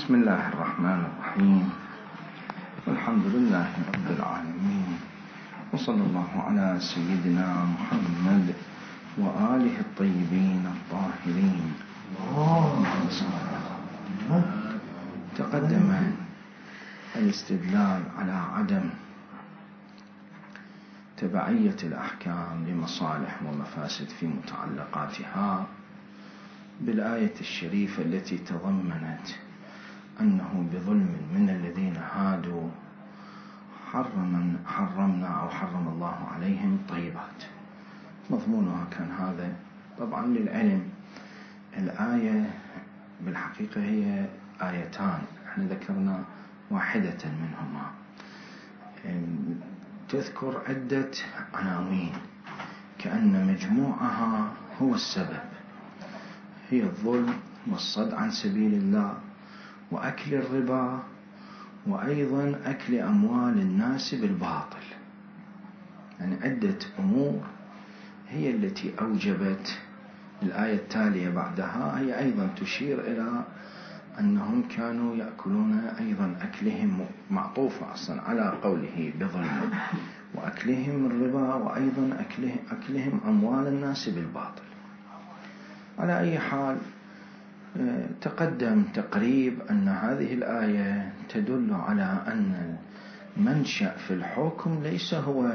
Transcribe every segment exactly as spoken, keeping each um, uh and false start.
بسم الله الرحمن الرحيم، والحمد لله رب العالمين، وصلى الله على سيدنا محمد وآله الطيبين الطاهرين. تقدم الاستدلال على عدم تبعية الأحكام لمصالح ومفاسد في متعلقاتها بالآية الشريفة التي تضمنت أنه بظلم من الذين هادوا حرم حرمنا أو حرم الله عليهم طيبات. مضمونها كان هذا. طبعا للعلم الآية بالحقيقة هي آيتان، احنا ذكرنا واحدة منهما، تذكر عدة عناوين كأن مجموعها هو السبب، هي الظلم والصد عن سبيل الله وأكل الربا وأيضا أكل أموال الناس بالباطل. يعني عدة أمور هي التي أوجبت. الآية التالية بعدها هي أيضا تشير إلى أنهم كانوا يأكلون أيضا أكلهم معطوفة أصلا على قوله بظلم وأكلهم الربا وأيضا أكلهم, أكلهم أموال الناس بالباطل. على أي حال تقدم تقريب أن هذه الآية تدل على أن المنشأ في الحكم ليس هو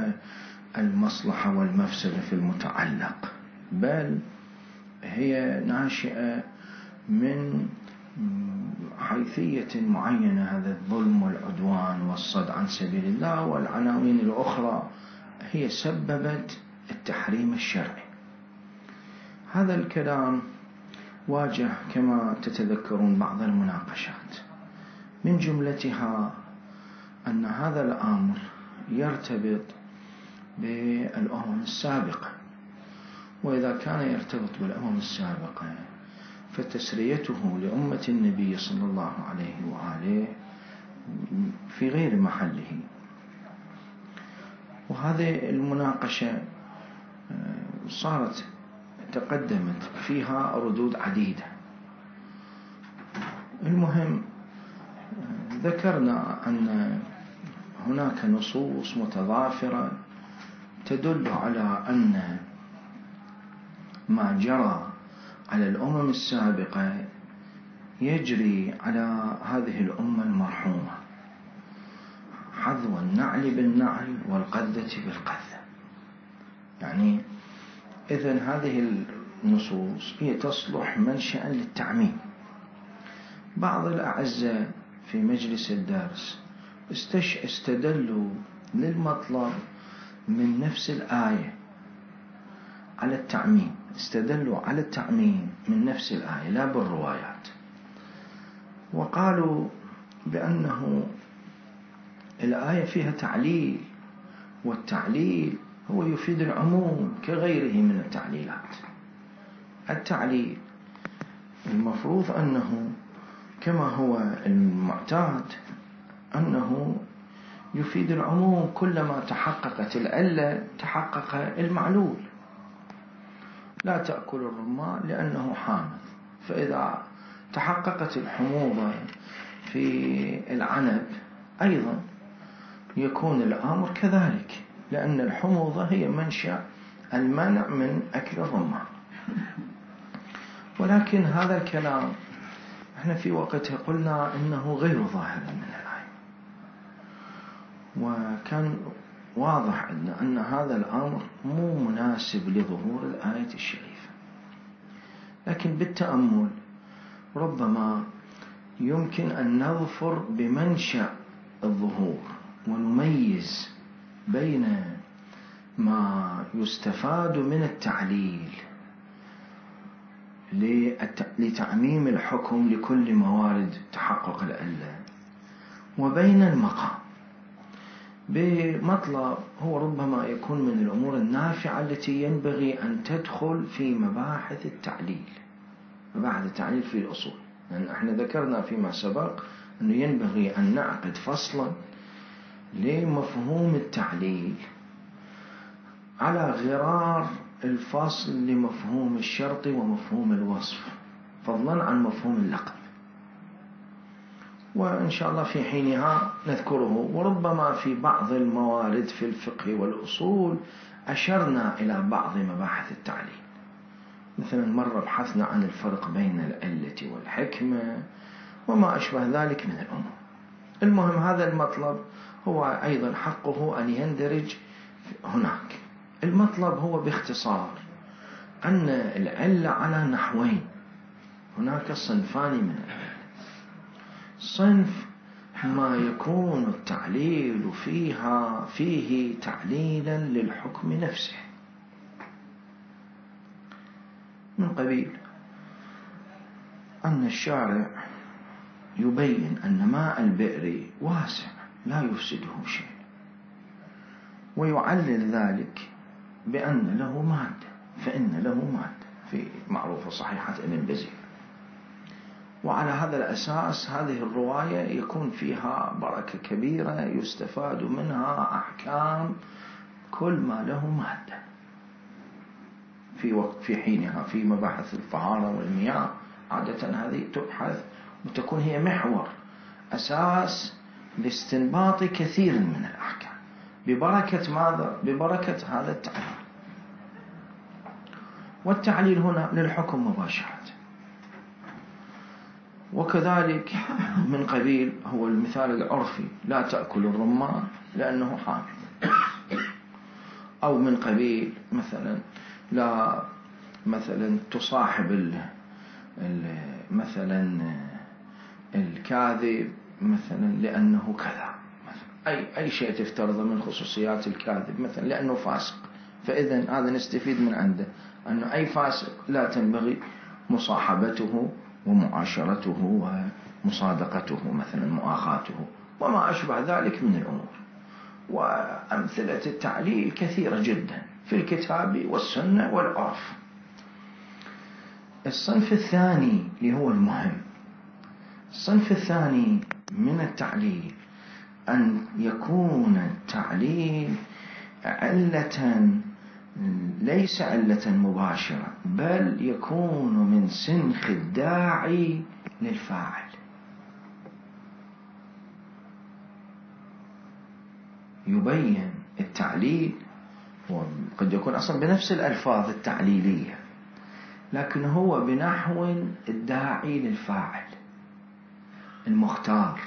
المصلحة والمفسدة في المتعلق، بل هي ناشئة من حيثية معينة، هذا الظلم والعدوان والصد عن سبيل الله والعناوين الأخرى هي سببت التحريم الشرعي. هذا الكلام واجه كما تتذكرون بعض المناقشات، من جملتها أن هذا الأمر يرتبط بالأمم السابقة، وإذا كان يرتبط بالأمم السابقة فتسريته لأمة النبي صلى الله عليه وآله في غير محله. وهذه المناقشة صارت تقدمت فيها ردود عديدة. المهم ذكرنا أن هناك نصوص متضافرة تدل على أن ما جرى على الأمم السابقة يجري على هذه الأمة المرحومة، حذو النعل بالنعل والقذة بالقذة. يعني إذن هذه النصوص هي تصلح منشأ للتعميم. بعض الأعزاء في مجلس الدرس استدلوا للمطلب من نفس الآية على التعميم، استدلوا على التعميم من نفس الآية لا بالروايات، وقالوا بأنه الآية فيها تعليل، والتعليل هو يفيد العموم كغيره من التعليلات. التعليل المفروض أنه كما هو المعتاد أنه يفيد العموم، كلما تحققت العلة تحقق المعلول. لا تأكل الرمان لأنه حامض، فإذا تحققت الحموضة في العنب أيضا يكون الأمر كذلك، لأن الحموضة هي منشأ المنع من أكل الرمان. ولكن هذا الكلام احنا في وقتها قلنا إنه غير ظاهر من الآية، وكان واضح أن هذا الأمر مو مناسب لظهور الآية الشريفة. لكن بالتأمل ربما يمكن أن نظفر بمنشأ الظهور ونميز بين ما يستفاد من التعليل لتعميم الحكم لكل موارد تحقق العلة، وبين المقام بمطلب هو ربما يكون من الأمور النافعة التي ينبغي أن تدخل في مباحث التعليل، مباحث التعليل في الأصول. لأن يعني احنا ذكرنا فيما سبق أنه ينبغي أن نعقد فصلا لمفهوم التعليل على غرار الفصل لمفهوم الشرط ومفهوم الوصف، فضلا عن مفهوم اللقب. وإن شاء الله في حينها نذكره. وربما في بعض الموارد في الفقه والأصول أشرنا إلى بعض مباحث التعليل، مثلا مرة بحثنا عن الفرق بين العلة والحكمة وما أشبه ذلك من الأمور. المهم هذا المطلب هو أيضا حقه أن يندرج هناك. المطلب هو باختصار أن العلة على نحوين، هناك صنفان من العلة. صنف ما يكون التعليل فيها فيه تعليلا للحكم نفسه، من قبيل أن الشارع يبين أن ماء البئر واسع لا يفسده شيء، ويعلل ذلك بأن له مادة، فإن له مادة في معروفة صحيحة ابن بزير. وعلى هذا الأساس هذه الرواية يكون فيها بركة كبيرة يستفاد منها أحكام كل ما له مادة في وقت في حينها. في مباحث الطهارة والمياه عادة هذه تبحث وتكون هي محور أساس لاستنباط كثير من الأحكام ببركة ماذا؟ ببركة هذا التعليل. والتعليل هنا للحكم مباشرة. وكذلك من قبيل هو المثال العرفي لا تأكل الرمان لأنه حامض، أو من قبيل مثلا لا مثلا تصاحب ال ال مثلا الكاذب مثلا لأنه كذا، أي أي شيء تفترض من خصوصيات الكاذب مثلا لأنه فاسق، فإذا هذا نستفيد من عنده أنه أي فاسق لا تنبغي مصاحبته ومعاشرته ومصادقته مثلا مؤاخاته وما أشبه ذلك من الأمور. وأمثلة التعليل كثيرة جدا في الكتاب والسنة والعرف. الصنف الثاني اللي هو المهم، الصنف الثاني من التعليل أن يكون التعليل علة ليس علة مباشرة، بل يكون من سنخ الداعي للفاعل. يبين التعليل وقد يكون أصلا بنفس الألفاظ التعليلية، لكن هو بنحو الداعي للفاعل المختار،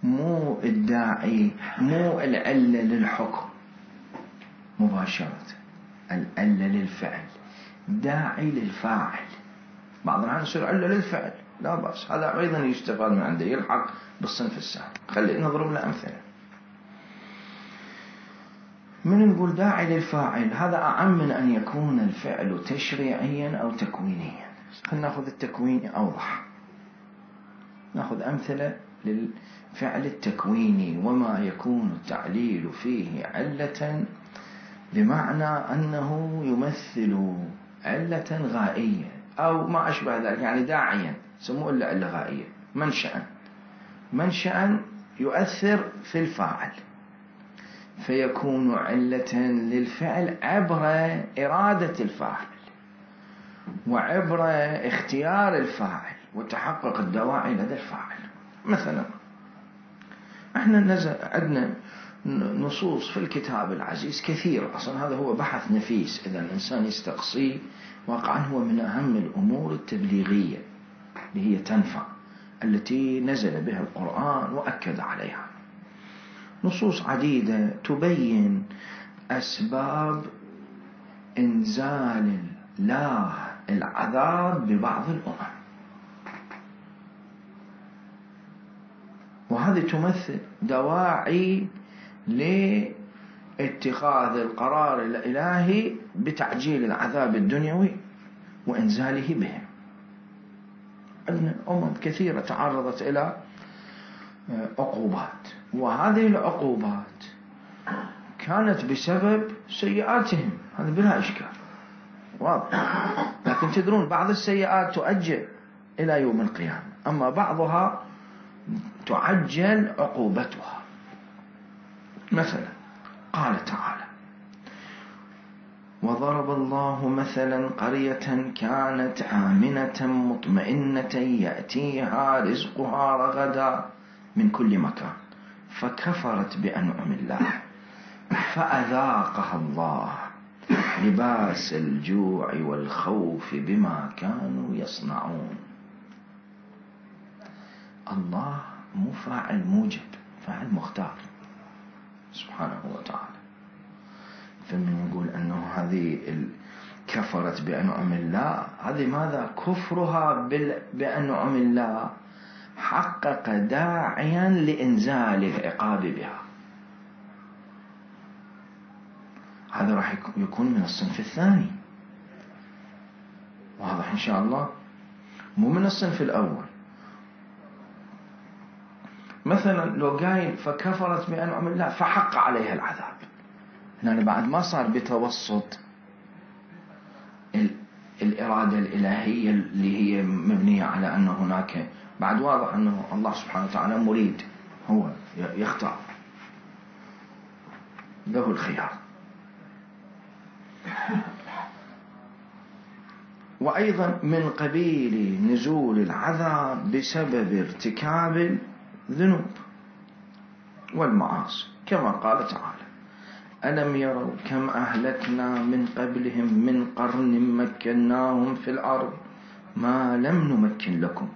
مو الداعي مو العلة للحكم مباشرة، العلة للفعل، داعي للفاعل. بعض الأحيان يصير علة للفعل لا بأس، هذا أيضا يستفاد من عنده، يلحق بالصنف السابق. خلي نضرب له أمثلة. من نقول داعي للفاعل هذا أعم من أن يكون الفعل تشريعيا أو تكوينيا. خلينا نأخذ التكويني أوضح، نأخذ أمثلة للفعل التكويني وما يكون التعليل فيه علة بمعنى أنه يمثل علة غائية أو ما أشبه ذلك، يعني داعيا سموه إلا علة غائية، منشأ منشأ يؤثر في الفاعل فيكون علة للفعل عبر إرادة الفاعل وعبر اختيار الفاعل وتحقق الدواعي لدى الفاعل. مثلا احنا نزل عندنا نصوص في الكتاب العزيز كثير، أصلا هذا هو بحث نفيس إذا الإنسان يستقصيه، واقعا هو من أهم الأمور التبليغية اللي هي تنفع، التي نزل بها القرآن وأكد عليها. نصوص عديدة تبين أسباب إنزال الله العذاب ببعض الأمم، وهذه تمثل دواعي لاتخاذ القرار الإلهي بتعجيل العذاب الدنيوي وإنزاله بهم. عندنا أمم كثيرة تعرضت إلى عقوبات، وهذه العقوبات كانت بسبب سيئاتهم، هذا بلا إشكال واضح. لكن تدرون بعض السيئات تؤجل إلى يوم القيامة، أما بعضها تعجل عقوبتها. مثلا قال تعالى: وضرب الله مثلا قرية كانت آمنة مطمئنة يأتيها رزقها رغدا من كل مكان فكفرت بأنعم الله فأذاقها الله لباس الجوع والخوف بما كانوا يصنعون. الله مو فاعل موجب، فاعل مختار سبحانه وتعالى. فمن يقول أنه هذه كفرت بأنعم الله، هذه ماذا؟ كفرها بأنعم الله حقق داعيا لإنزال العقاب بها. هذا راح يكون من الصنف الثاني، واضح إن شاء الله، مو من الصنف الأول. مثلا لو قايل فكفرت بأنعم الله فحق عليها العذاب، يعني بعد ما صار بتوسط الإرادة الإلهية اللي هي مبنية على أن هناك، بعد واضح أنه الله سبحانه وتعالى مريد، هو يختار، له الخيار. وأيضا من قبيل نزول العذاب بسبب ارتكاب الذنوب والمعاصي، كما قال تعالى: ألم يروا كم أهلكنا من قبلهم من قرن مكناهم في الأرض ما لم نمكن لكم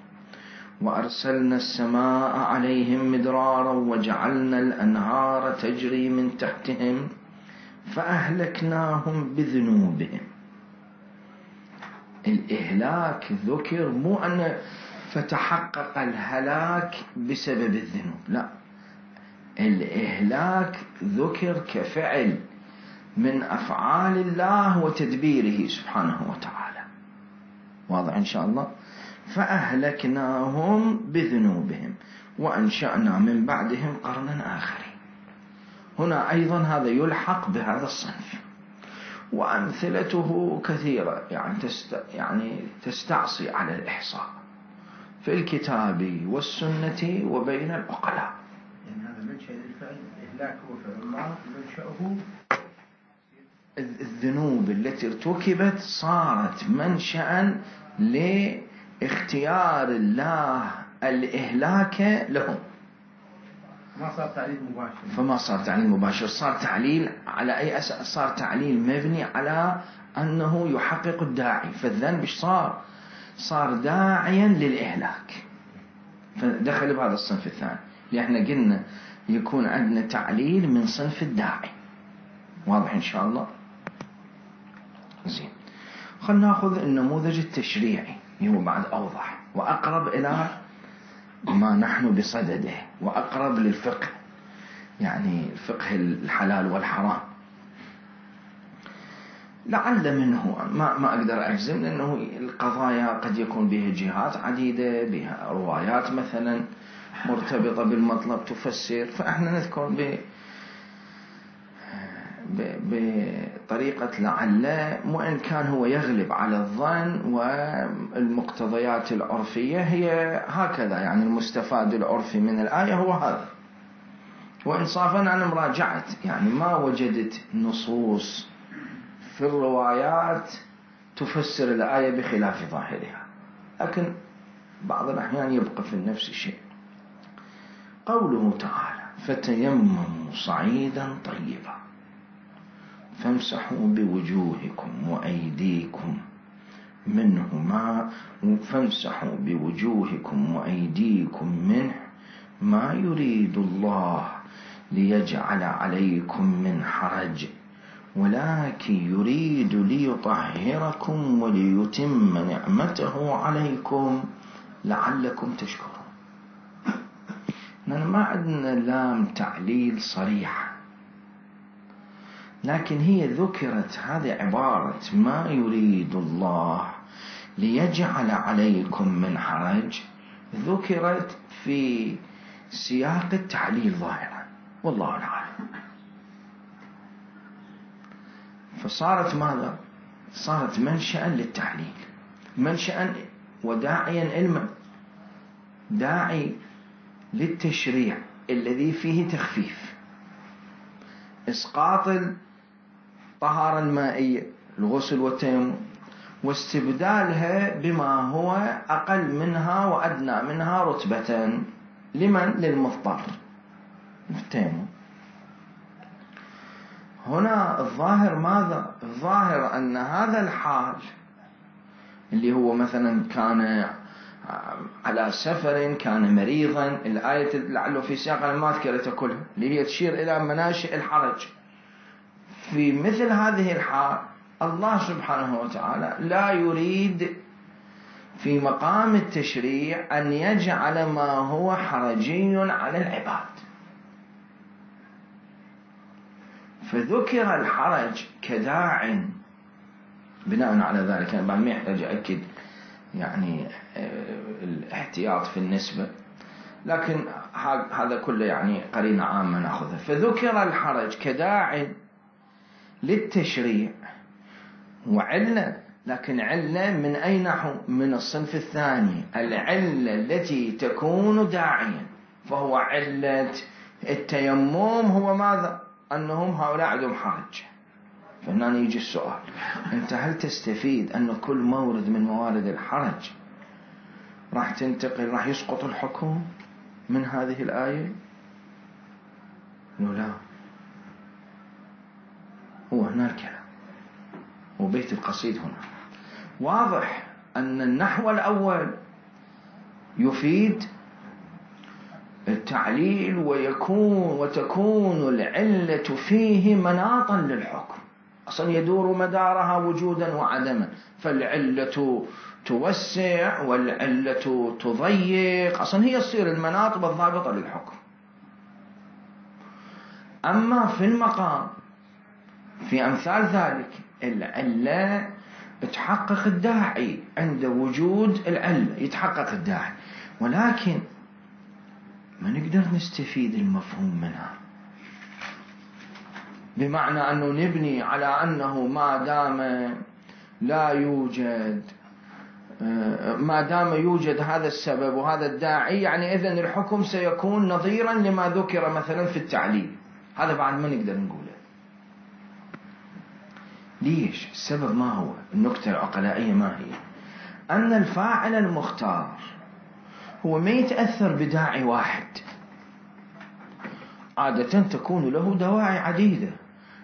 وأرسلنا السماء عليهم مدرارا وجعلنا الأنهار تجري من تحتهم فأهلكناهم بذنوبهم. الإهلاك ذكر، مو أن فتحقق الهلاك بسبب الذنوب، لا، الإهلاك ذكر كفعل من أفعال الله وتدبيره سبحانه وتعالى، واضح إن شاء الله. فأهلكناهم بذنوبهم وأنشأنا من بعدهم قرنا آخرين. هنا أيضا هذا يلحق بهذا الصنف، وأمثلته كثيرة، يعني, تست يعني تستعصي على الإحصاء في الكتاب والسنة وبين العقلاء. يعني هذا منشأ الفعل، الإهلاك هو فعل الله، منشأه الذنوب التي ارتكبت صارت منشأ لاختيار الله الإهلاك لهم، ما صار تعليل مباشر. فما صار تعليل مباشر، صار تعليل على أي أساس؟ صار تعليل مبني على أنه يحقق الداعي. فالذنب صار صار داعيا للإهلاك، فدخل بهذا الصنف الثاني، لأن احنا قلنا يكون عندنا تعليل من صنف الداعي، واضح إن شاء الله. زين، خلنا نأخذ النموذج التشريعي، هو بعد أوضح وأقرب إلى ما نحن بصدده وأقرب للفقه، يعني فقه الحلال والحرام. لعل منه ما ما أقدر أجزم، لأنه القضايا قد يكون بها جهات عديدة، بها روايات مثلا مرتبطة بالمطلب تفسر، فإحنا نذكر ب بطريقة لعل، وإن كان هو يغلب على الظن، والمقتضيات العرفية هي هكذا، يعني المستفاد العرفي من الآية هو هذا. وإنصافا أنا مراجعت، يعني ما وجدت نصوص في الروايات تفسر الآية بخلاف ظاهرها، لكن بعض الأحيان يبقى في نفس الشيء. قوله تعالى: فتيمموا صعيدا طيبا فامسحوا بوجوهكم وأيديكم منه ما فامسحوا بوجوهكم وأيديكم منه ما يريد الله ليجعل عليكم من حرج ولكن يريد ليطهركم وليتم نعمته عليكم لعلكم تشكرون. لأن ما عندنا لام تعليل صريحة، لكن هي ذكرت، هذه عبارة ما يريد الله ليجعل عليكم من حرج، ذكرت في سياق التعليل ظاهرا، والله أعلم. فصارت ماذا؟ صارت منشأ للتعليل، منشأ وداعيا علما، داعي للتشريع الذي فيه تخفيف، إسقاط الطهارة المائية الغسل والتيمم، واستبدالها بما هو أقل منها وأدنى منها رتبة. لمن؟ للمضطر في التيمم. هنا الظاهر ماذا؟ الظاهر أن هذا الحال اللي هو مثلا كان على سفر، كان مريضا، الآية لعله في سياق ما ذكرتها كلها اللي هي تشير إلى مناشئ الحرج. في مثل هذه الحال الله سبحانه وتعالى لا يريد في مقام التشريع أن يجعل ما هو حرجي على العباد، فذكر الحرج كداع. بناء على ذلك أنا بعد ما يحتاج أكد يعني الاحتياط في النسبة، لكن هذا كله يعني قرينة عامة نأخذها. فذكر الحرج كداع للتشريع وعلة، لكن علة من أي نحو؟ من الصنف الثاني، العلة التي تكون داعيا. فهو علة التيمم هو ماذا؟ أنهم هؤلاء عندهم حرج. فهنا يجي السؤال، أنت هل تستفيد أن كل مورد من موارد الحرج راح تنتقل راح يسقط الحكم من هذه الآية؟ لا، هو هنا الكلام وبيت القصيد هنا واضح أن النحو الأول يفيد التعليل ويكون وتكون العلة فيه مناطا للحكم، أصلا يدور مدارها وجودا وعدما، فالعلة توسع والعلة تضيق، أصلا هي تصير المناط بالضابطة للحكم. أما في المقام في أمثال ذلك العلة تحقق الداعي، عند وجود العلة يتحقق الداعي، ولكن ما نقدر نستفيد المفهوم منها، بمعنى أنه نبني على أنه ما دام لا يوجد ما دام يوجد هذا السبب وهذا الداعي يعني إذن الحكم سيكون نظيرا لما ذكر مثلا في التعليل. هذا بعد ما نقدر نقوله. ليش؟ السبب ما هو؟ النكتة العقلائية ما هي؟ أن الفاعل المختار هو ما يتأثر بداعي واحد، عادة تكون له دواعي عديدة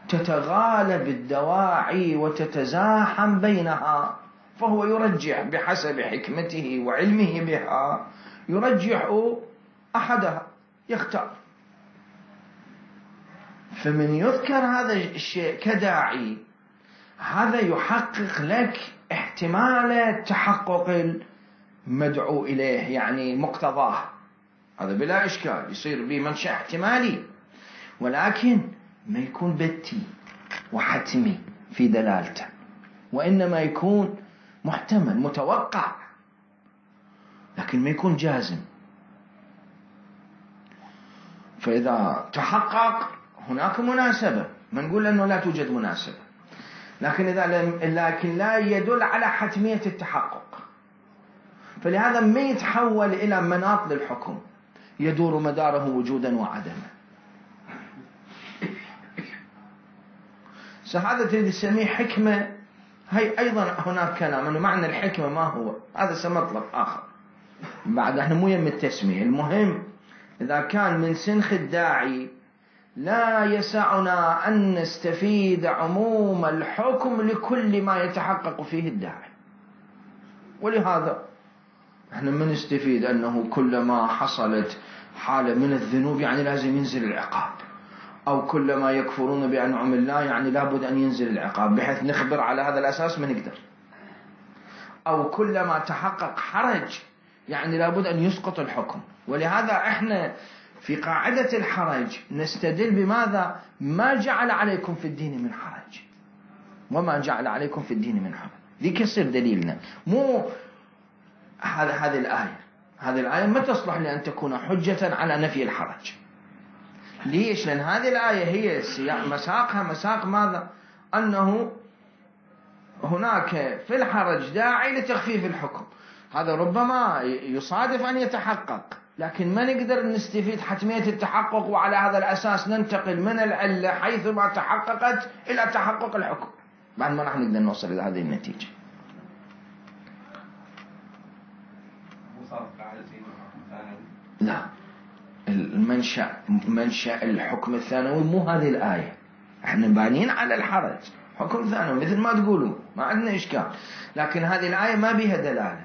تتغالب الدواعي وتتزاحم بينها، فهو يرجح بحسب حكمته وعلمه بها، يرجح أحدها يختار. فمن يذكر هذا الشيء كداعي هذا يحقق لك احتمال تحقق المدعو إليه يعني مقتضاه، هذا بلا إشكال يصير به منشأ احتمالي، ولكن ما يكون بتي وحتمي في دلالته، وإنما يكون محتمل متوقع لكن ما يكون جازم. فإذا تحقق هناك مناسبة، ما نقول أنه لا توجد مناسبة، لكن إذا لم لكن لا يدل على حتمية التحقق، فلهذا ما يتحول إلى مناط للحكم يدور مداره وجودا وعدما. هذا تريد تسميه حكمة، هي أيضا هناك كلام أنه معنى الحكمة ما هو، هذا سمطلب آخر بعد احنا مو يم التسمية. المهم إذا كان من سنخ الداعي لا يسعنا أن نستفيد عموم الحكم لكل ما يتحقق فيه الداعي، ولهذا احنا ما نستفيد أنه كلما حصلت حالة من الذنوب يعني لازم ينزل العقاب، أو كلما يكفرون بأنعم الله يعني لابد أن ينزل العقاب، بحيث نخبر على هذا الأساس ما نقدر. أو كلما تحقق حرج يعني لابد أن يسقط الحكم. ولهذا احنا في قاعدة الحرج نستدل بماذا؟ ما جعل عليكم في الدين من حرج، وما جعل عليكم في الدين من حرج، ذي كسر دليلنا. مو هذا هذه الآية هذه الآية ما تصلح لأن تكون حجة على نفي الحرج. ليش؟ لأن هذه الآية هي مساقها مساق ماذا؟ أنه هناك في الحرج داعي لتخفيف الحكم، هذا ربما يصادف أن يتحقق لكن ما نقدر نستفيد حتمية التحقق وعلى هذا الأساس ننتقل من العلة حيثما تحققت إلى تحقق الحكم، بعد ما راح نقدر نوصل إلى هذه النتيجة. لا، المنشأ منشأ الحكم الثانوي مو هذه الآية، احنا بانين على الحرج حكم ثانوي مثل ما تقولوا، ما عندنا إشكال، لكن هذه الآية ما بها دلالة،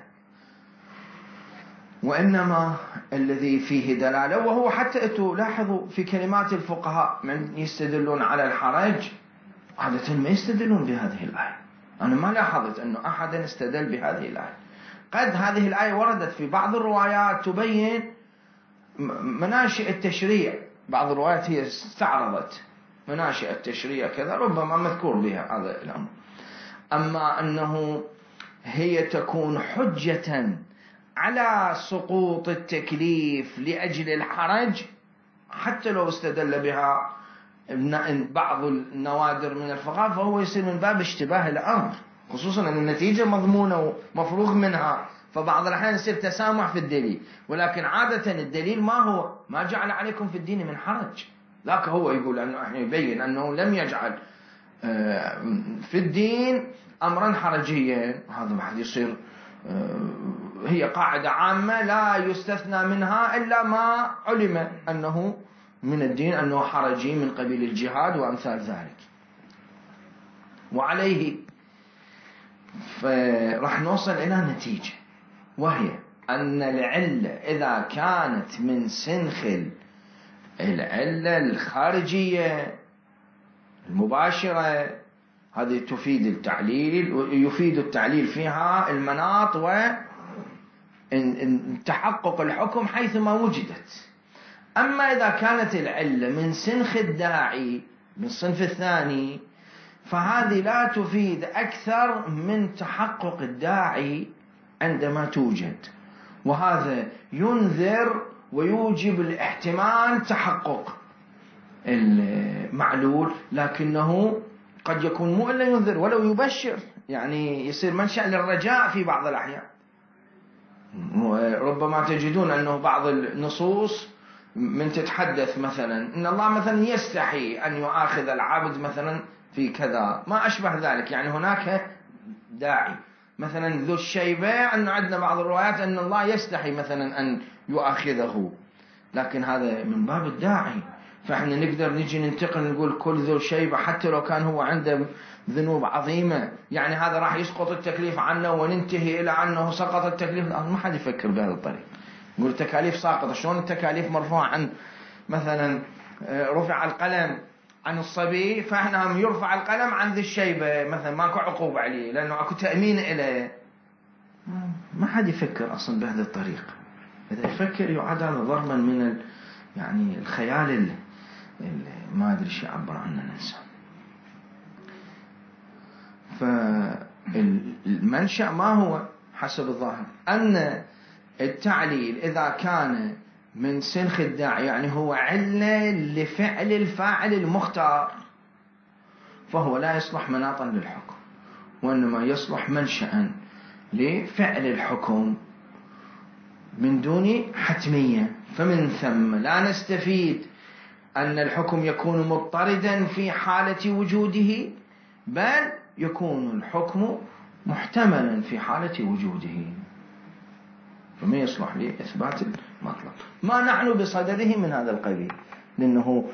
وإنما الذي فيه دلالة، وهو حتى أنتوا لاحظوا في كلمات الفقهاء من يستدلون على الحرج عادة ما يستدلون بهذه الآية. أنا ما لاحظت أنه أحدا استدل بهذه الآية. قد هذه الآية وردت في بعض الروايات تبين مناشئ التشريع، بعض الروايات هي استعرضت مناشئ التشريع كذا، ربما مذكور بها هذا الأمر. أما أنه هي تكون حجة على سقوط التكليف لأجل الحرج، حتى لو استدل بها بعض النوادر من الفقهاء فهو يصير من باب اشتباه الأمر، خصوصا أن النتيجة مضمونة ومفروغ منها، فبعض الأحيان يصير تسامح في الدليل، ولكن عادة الدليل ما هو ما جعل عليكم في الدين من حرج، لكن هو يقول أنه احنا يبين أنه لم يجعل في الدين أمرا حرجيا، هذا بعد يصير هي قاعدة عامة لا يستثنى منها إلا ما علم أنه من الدين أنه حرجي من قبيل الجهاد وأمثال ذلك. وعليه فرح نوصل إلى نتيجة، وهي أن العلة إذا كانت من سنخ العلة الخارجية المباشرة هذه تفيد التعليل، ويفيد التعليل فيها المناط وتحقق الحكم حيثما وجدت. أما إذا كانت العلة من سنخ الداعي من الصنف الثاني فهذه لا تفيد أكثر من تحقق الداعي عندما توجد، وهذا ينذر ويوجب الاحتمال تحقق المعلول، لكنه قد يكون مو إلا ينذر ولو يبشر، يعني يصير منشأ للرجاء في بعض الأحيان. ربما تجدون أنه بعض النصوص من تتحدث مثلا إن الله مثلا يستحي أن يؤاخذ العبد مثلا في كذا ما أشبه ذلك، يعني هناك داعي، مثلا ذو الشيبة أن عندنا بعض الروايات أن الله يستحي مثلا أن يؤاخذه، لكن هذا من باب الداعي، فإحنا نقدر نجي ننتقل نقول كل ذو شيبة حتى لو كان هو عنده ذنوب عظيمة، يعني هذا راح يسقط التكليف عنه وننتهي إلى أنه سقط التكليف. ما حد يفكر بهذا الطريق، يقول التكاليف ساقطة، شلون التكاليف مرفوعة عن مثلا رفع القلم عن الصبي فإحنا هم يرفع القلم عن ذي الشيبة مثلا ماكو عقوبة عليه لأنه أكو تأمين إليه. ما حد يفكر أصلا بهذا الطريق، إذا يفكر يعاد هذا ضربا من ال... يعني الخيال اللي ما أدري شو يعبر عنه الإنسان. فالمنشأ ما هو حسب الظاهر أن التعليل إذا كان من سنخ الداعي يعني هو علة لفعل الفاعل المختار فهو لا يصلح مناطا للحكم، وإنما يصلح منشأ لفعل الحكم من دون حتمية. فمن ثم لا نستفيد أن الحكم يكون مضطردا في حالة وجوده، بل يكون الحكم محتملا في حالة وجوده، فما يصلح لإثبات المطلب. ما نحن بصدده من هذا القبيل، لأنه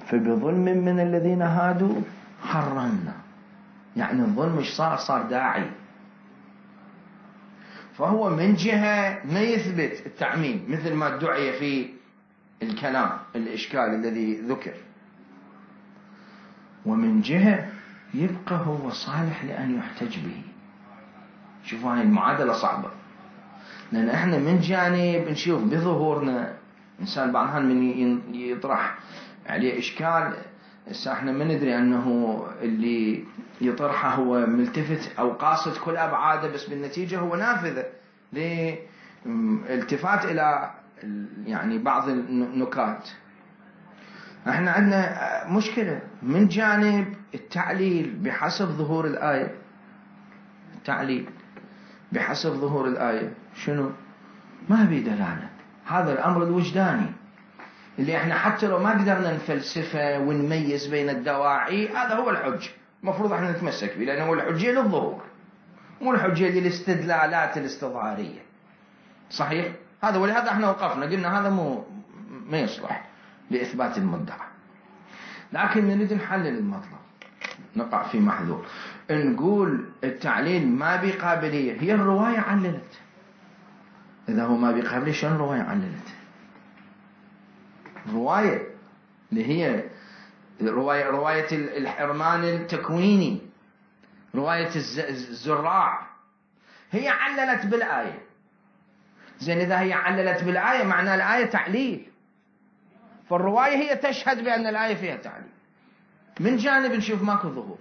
فبظلم من الذين هادوا حرمنا، يعني الظلم مش صار صار داعي، فهو من جهة ما يثبت التعميم مثل ما ادعي في الكلام الإشكال الذي ذكر، ومن جهة يبقى هو صالح لأن يحتج به. شوفوا هاي المعادلة صعبة، لأن احنا من جانب نشوف بظهورنا إنسان بعضها من يطرح عليه إشكال، احنا ما ندري أنه اللي يطرحه هو ملتفت أو قاصد كل أبعاده، بس بالنتيجة هو نافذة لالتفات إلى يعني بعض النكات. احنا عندنا مشكلة من جانب التعليل بحسب ظهور الآية، التعليل بحسب ظهور الآية شنو؟ ما بي دلالة هذا الأمر الوجداني اللي احنا حتى لو ما قدرنا نفلسفه ونميز بين الدواعي، هذا هو الحج المفروض احنا نتمسك به، لأنه هو الحجية للظهور مو الحجية للاستدلالات الاستظهارية. صحيح؟ هذا ولهذا احنا وقفنا قلنا هذا مو ما يصلح لإثبات المدعى. لكن نريد نحلل المطلب، نقع في محذور، نقول التعليل ما بقابلية، هي الرواية عللت. إذا هو ما بقابلية شلون الرواية عللت؟ الرواية اللي هي رواية رواية الحرمان التكويني، رواية الزراع، هي عللت بالآية. زين إذا هي عللت بالآية معنى الآية تعليل، فالرواية هي تشهد بأن الآية فيها تعليل. من جانب نشوف ماكو ظهور،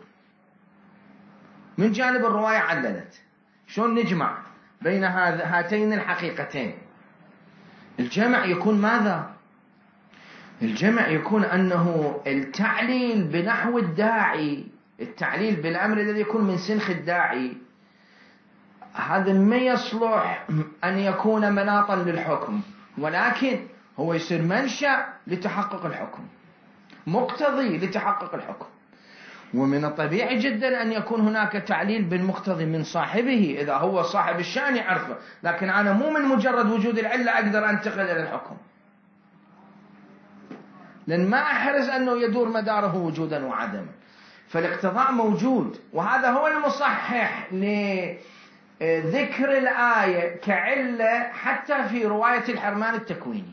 من جانب الرواية عللت. شلون نجمع بين هاتين الحقيقتين؟ الجمع يكون ماذا؟ الجمع يكون أنه التعليل بنحو الداعي، التعليل بالأمر الذي يكون من سنخ الداعي، هذا ما يصلح أن يكون مناطا للحكم، ولكن هو يصير منشأ لتحقق الحكم، مقتضي لتحقق الحكم. ومن الطبيعي جدا أن يكون هناك تعليل بالمقتضي من صاحبه إذا هو صاحب الشأن يعرفه، لكن أنا مو من مجرد وجود العلة أقدر أنتقل إلى الحكم، لأن ما أحرز أنه يدور مداره وجودا وعدما. فالاقتضاء موجود، وهذا هو المصحح لذكر الآية كعلة حتى في رواية الحرمان التكويني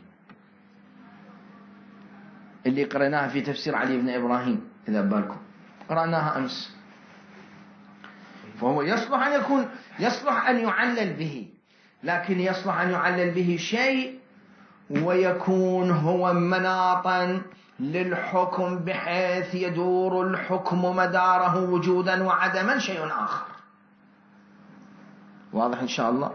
اللي قرأناها في تفسير علي بن إبراهيم، إذا بالكم قرأناها أمس. فهو يصلح أن يكون يصلح أن يعلل به، لكن يصلح أن يعلل به شيء ويكون هو مناطا للحكم بحيث يدور الحكم مداره وجودا وعدما شيء آخر. واضح إن شاء الله؟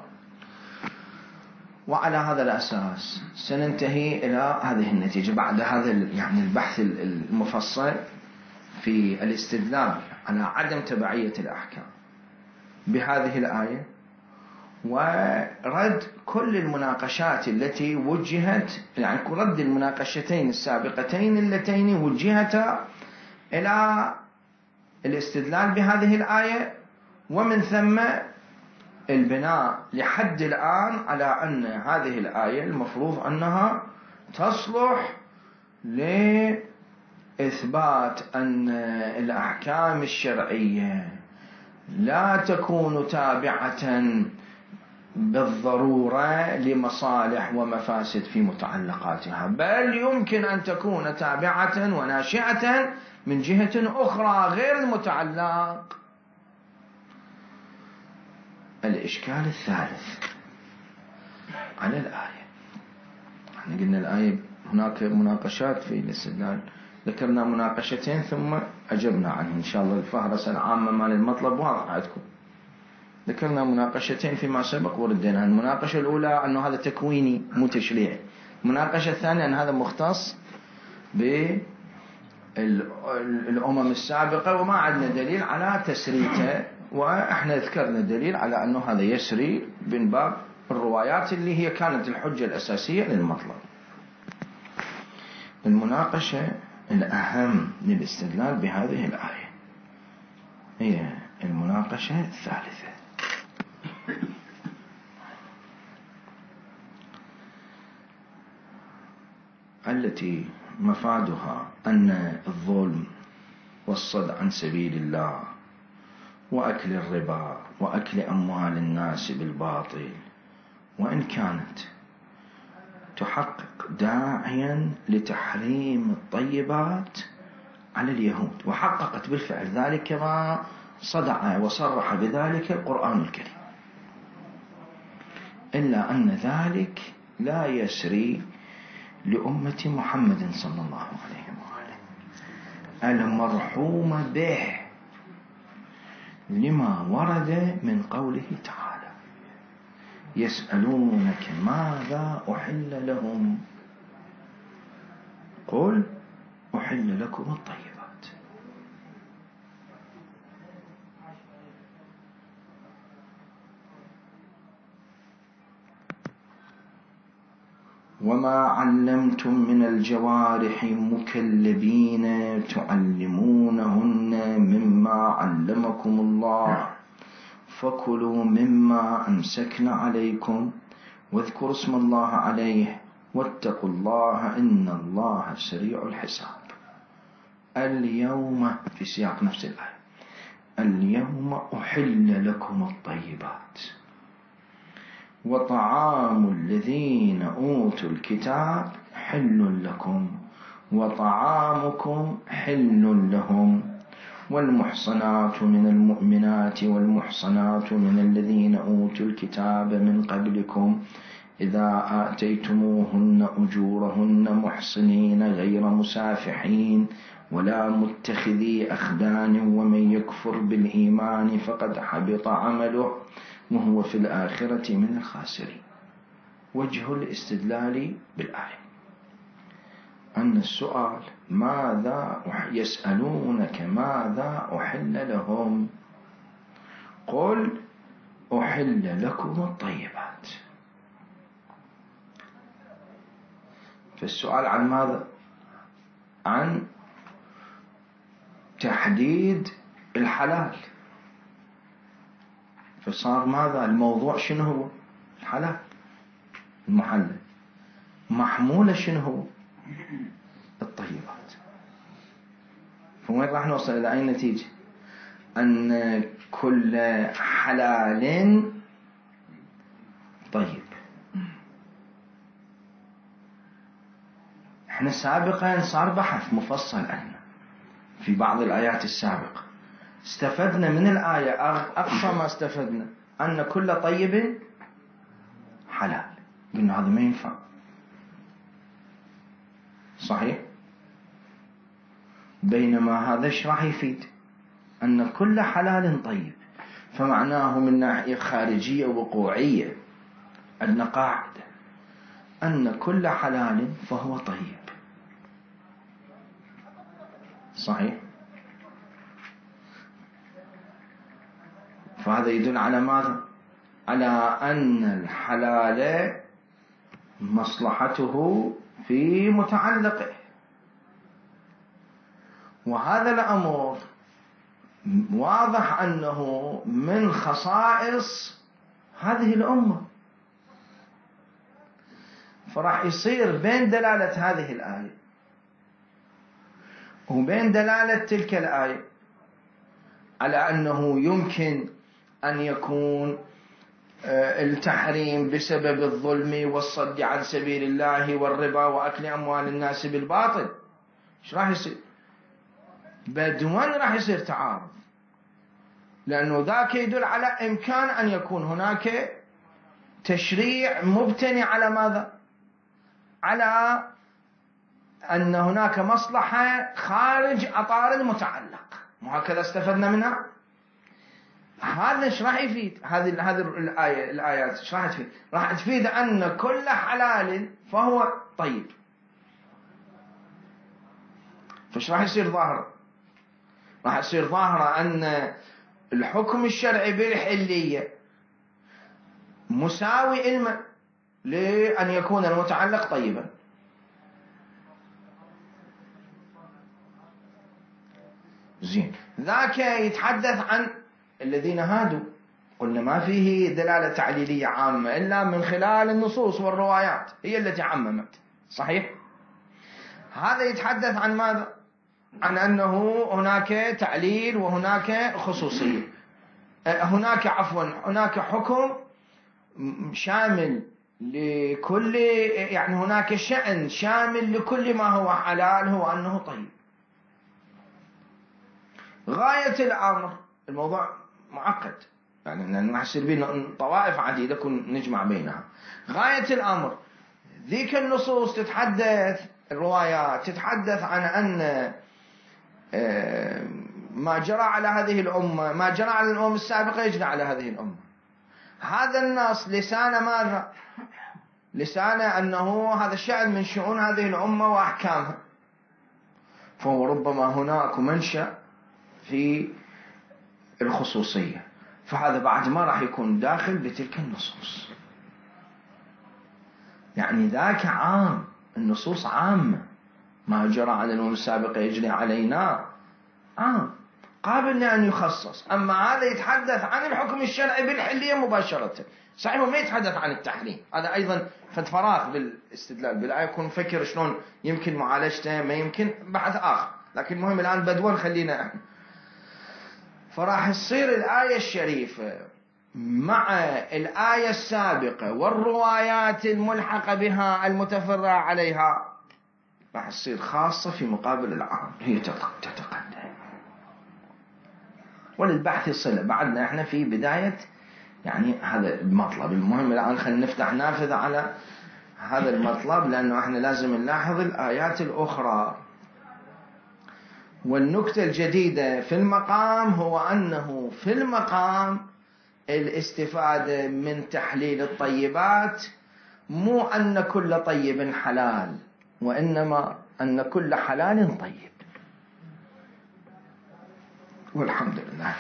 وعلى هذا الأساس سننتهي إلى هذه النتيجة بعد هذا يعني البحث المفصل في الاستدلال على عدم تبعية الأحكام بهذه الآية، ورد كل المناقشات التي وجهت، يعني رد المناقشتين السابقتين اللتين وجهتا إلى الاستدلال بهذه الآية، ومن ثم البناء لحد الآن على أن هذه الآية المفروض أنها تصلح لإثبات أن الأحكام الشرعية لا تكون تابعة بالضرورة لمصالح ومفاسد في متعلقاتها، بل يمكن أن تكون تابعة وناشئة من جهة أخرى غير المتعلق. الإشكال الثالث على الآية، احنا قلنا الآية هناك مناقشات في الاستدلال، ذكرنا مناقشتين ثم أجبنا عنه. إن شاء الله الفهرسة العامة مال المطلب واضحة عندكم. ذكرنا مناقشتين فيما سبق وردينا. المناقشة الأولى أنه هذا تكويني مو تشريعي، المناقشة الثانية أن هذا مختص بالأمم السابقة وما عندنا دليل على تسريته، وإحنا ذكرنا دليل على أنه هذا يسري من باب الروايات اللي هي كانت الحجة الأساسية للمطلب. المناقشة الأهم للاستدلال بهذه الآية هي المناقشة الثالثة، التي مفادها أن الظلم والصد عن سبيل الله وأكل الربا وأكل أموال الناس بالباطل، وإن كانت تحقق داعيا لتحريم الطيبات على اليهود، وحققت بالفعل ذلك كما صدع وصرح بذلك القرآن الكريم، إلا أن ذلك لا يسري لأمة محمد صلى الله عليه وآله المرحوم به، لما ورد من قوله تعالى: يسألونك ماذا أحل لهم قل أحل لكم الطيبات. وما علمتم من الجوارح مكلبين تعلمونهن مما علمكم الله فكلوا مما أمسكن عليكم واذكروا اسم الله عليه واتقوا الله إن الله سريع الحساب. اليوم في سياق نفس الآية اليوم أحل لكم الطيبات وطعام الذين أوتوا الكتاب حل لكم وطعامكم حل لهم والمحصنات من المؤمنات والمحصنات من الذين أوتوا الكتاب من قبلكم إذا آتيتموهن أجورهن محصنين غير مسافحين ولا متخذي أخدان ومن يكفر بالإيمان فقد حبط عمله وهو في الآخرة من الخاسرين. وجه الاستدلال بالآية أن السؤال ماذا يسألونك ماذا أحل لهم قل أحل لكم الطيبات. فالسؤال عن ماذا؟ عن تحديد الحلال. فصار ماذا الموضوع؟ شنو هو الحلال المحلل؟ محمولة شنو هو الطيبات. فوين راح نوصل إلى أي نتيجة؟ أن كل حلال طيب. احنا سابقا صار بحث مفصل عنه في بعض الآيات السابقة، استفدنا من الآية أقصى ما استفدنا أن كل طيب حلال. قلنا هذا ما ينفع صحيح، بينما هذا ايش راح يفيد؟ أن كل حلال طيب. فمعناه من ناحية خارجية وقوعية أن قاعدة أن كل حلال فهو طيب صحيح. فهذا يدل على ماذا؟ على أن الحلال مصلحته في متعلقه، وهذا الأمر واضح أنه من خصائص هذه الأمة. فراح يصير بين دلالة هذه الآية وبين دلالة تلك الآية على أنه يمكن أن يكون التحريم بسبب الظلم والصد عن سبيل الله والربا وأكل أموال الناس بالباطل، إيش راح يصير؟ بدون راح يصير تعارض، لأنه ذاك يدل على إمكان أن يكون هناك تشريع مبتني على ماذا؟ على أن هناك مصلحة خارج أطار المتعلق. وهكذا استفدنا منها. هذا ايش راح يفيد؟ هذه هذه الآية الآيات ايش راح تفيد؟ راح تفيد أن كل حلال فهو طيب. فايش راح يصير ظاهر؟ راح يصير ظاهرة أن الحكم الشرعي بالحلية مساوي إلما لأن يكون المتعلق طيبا. زين، ذاك يتحدث عن الذين هادوا، قلنا ما فيه دلالة تعليلية عامة إلا من خلال النصوص والروايات هي التي عممت صحيح. هذا يتحدث عن ماذا؟ عن أنه هناك تعليل وهناك خصوصية، هناك عفوا هناك حكم شامل لكل، يعني هناك شأن شامل لكل ما هو حلال هو أنه طيب. غاية الأمر الموضوع معقد، يعني نحسب بين طوائف عديدة كن نجمع بينها. غاية الأمر ذيك النصوص تتحدث، الروايات تتحدث عن أن ما جرى على هذه الأمة، ما جرى على الأمم السابقة يجرى على هذه الأمة. هذا النص لسان ماذا؟ لسان أنه هذا الشأن من شؤون هذه الأمة وأحكامها، فهو ربما هناك منشأ في الخصوصية، فهذا بعد ما راح يكون داخل بتلك النصوص. يعني ذاك عام، النصوص عامة، ما جرى على الأمم السابقة يجري علينا، عام قابل لأن يخصص. أما هذا يتحدث عن الحكم الشرعي بالحلية مباشرة، صحيح ما يتحدث عن التحريم. هذا أيضا فد فراغ بالاستدلال بالآية، يكون مفكر شلون يمكن معالجته، ما يمكن بحث آخر، لكن المهم الآن بدون خلينا. فراح تصير الآية الشريفة مع الآية السابقة والروايات الملحقة بها المتفرعة عليها راح تصير خاصة في مقابل العام، هي تتقدم. وللبحث صلة، بعدنا احنا في بداية يعني هذا المطلب. المهم الآن خلينا نفتح نافذة على هذا المطلب، لأنه احنا لازم نلاحظ الآيات الأخرى. والنكتة الجديدة في المقام هو أنه في المقام الاستفادة من تحليل الطيبات مو أن كل طيب حلال، وإنما أن كل حلال طيب. والحمد لله.